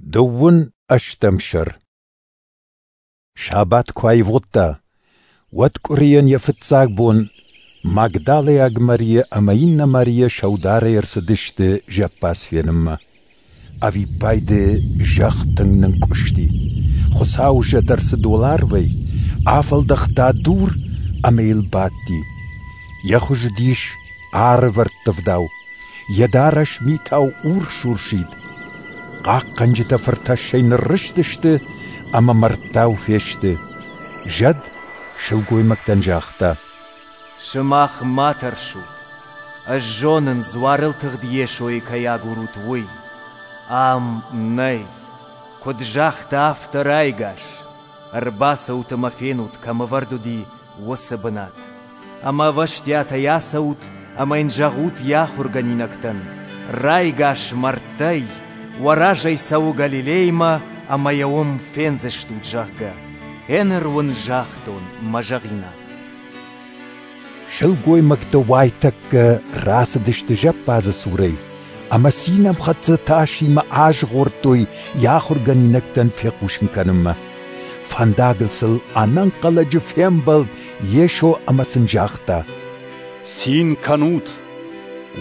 Дыууын ӕстӕм сӕр. Сабат куы аивгъуыдта, уӕд къуырийӕн йӕ фыццаг бон Магдалӕйаг Марийӕ ӕмӕ иннӕ Марийӕ сӕударӕй ӕрцыдысты зӕппадз фенынмӕ. Ӕвиппайды зӕхх тынг нынкъуысти. Хуыцауы зӕд ӕрцыд уӕларвӕй, афӕлдӕхта дур ӕмӕ йыл бадти. Йӕ хуыз уыдис арвӕрттывдау, йӕ дарӕс митау урс-урсид. Хъахъхъӕнджытӕ фыртӕссӕй ныррызтысты ӕмӕ мӕрдтау фесты. Зӕд сылгоймӕгтӕн загъта: «Сымах ма тӕрсут. Ӕз зонын, дзуарыл тыгъд Йесойы кӕй агурут, уый. Ам нӕй. Куыд загъта, афтӕ райгас. Ӕрбацӕут ӕмӕ фенут, кӕм ӕвӕрд уыди, уыцы бынат. Ӕмӕ ӕвӕстиатӕй ацӕут ӕмӕ йын зӕгъут йӕ ахуыргӕнинӕгтӕн: райгас мӕрдтӕй, уӕ разӕй цӕуы Галилеймӕ ӕмӕ йӕ уым фендзыстут, зӕгъгӕ. Гъеныр уын загътон мӕ зӕгъинаг». Сылгоймӕгтӕ уайтӕккӕ рацыдысты зӕппадзы цурӕй ӕмӕ цинӕмхӕццӕ тасимӕ азгъордтой йӕ ахуыргӕнинӕгтӕн фехъусын кӕнынмӕ. Фӕндагыл сыл ӕнӕнхъӕлӕджы фембӕлд Йесо ӕмӕ сын загъта: «Цин кӕнут!»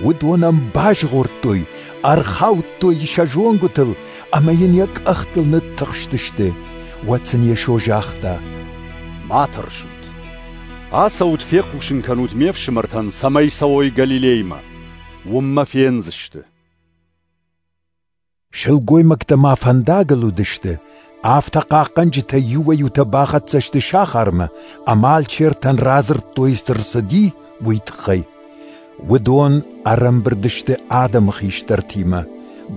Уыдон ӕм базгъордтой, ӕрхаудтой сӕ зонгуытыл ӕмӕ йын йӕ къӕхтыл ныттыхстысты. Уӕд сын Йесо загъта: «Ма тӕрсут. Ацӕут, фехъусын кӕнут ме фсымӕртӕн, цӕмӕй цӕуой Галилеймӕ. Уым мӕ фендзысты». Сылгоймӕгтӕ ма фӕндагыл уыдысты, афтӕ хъахъхъӕнджытӕ иуӕй-иутӕ бахӕццӕ сты сахармӕ ӕмӕ алчертӕн радзырдтой, цы рцыди, уый тыххӕй. Уыдон ӕрӕмбырд сты адӕмы хистӕртимӕ,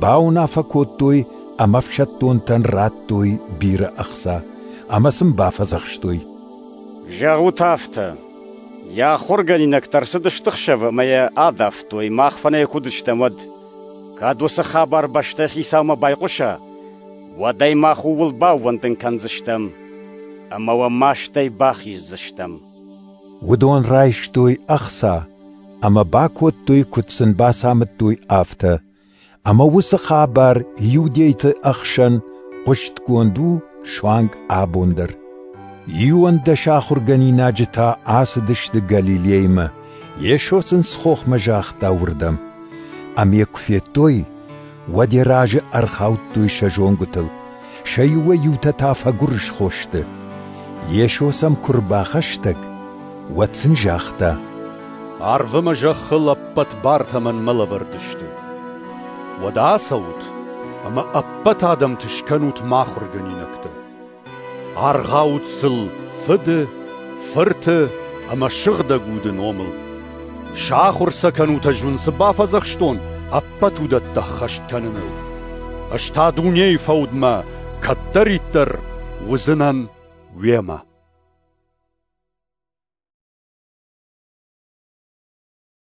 бауынаффӕ кодтой ӕмӕ ӕфсӕддонтӕн радтой бирӕ ӕхца ӕмӕ сын бафӕдзӕхстой: «Зӕгъут афтӕ: йӕ ахуыргӕнинӕгтӕ ӕрцыдысты ӕхсӕвы ӕмӕ йӕ адавтой, мах фынӕй куы уыдыстӕм, уӕд. Кӕд уыцы хабар бӕстӕйы хицаумӕ байхъуса, уӕд ӕй мах ууыл баууӕндын кӕндзыстӕм ӕмӕ уӕ мастӕй бахиздзыстӕм». Уыдон райстой ӕхца ӕмӕ бакодтой, куыд сын бацамыдтой, афтӕ. Ӕмӕ уыцы хабар иудейты ӕхсӕн хъуыстгонд у суанг абон дӕр. 11 ахуыргӕнинаджы та ацыдысты Галилеймӕ, Йесо сын цы хохмӕ загъта, уырдӕм. Ӕмӕ йӕ куы федтой, уӕд йӕ разы ӕрхаудтой сӕ зонгуытыл, сӕ иуӕй-иутӕ та фӕгуырысхо сты. Йесо сӕм куы рбахӕстӕг, уӕд сын загъта: «Арв ӕмӕ зӕххыл ӕппӕт бартӕ мӕнмӕ лӕвӕрд сты. Уӕдӕ ацӕут ӕмӕ ӕппӕт адӕмты скӕнут мӕ ахуыргӕнинӕгтӕ. Аргъаут сыл Фыды, Фырты ӕмӕ Сыгъдӕг Уды номыл. Сахуыр сӕ кӕнут, ӕз уын цы бафӕдзӕхстон, ӕппӕт уыдӕттӕ ӕххӕст кӕныныл. Ӕз та дунейы фӕудмӕ кӕддӕриддӕр уыдзынӕн уемӕ».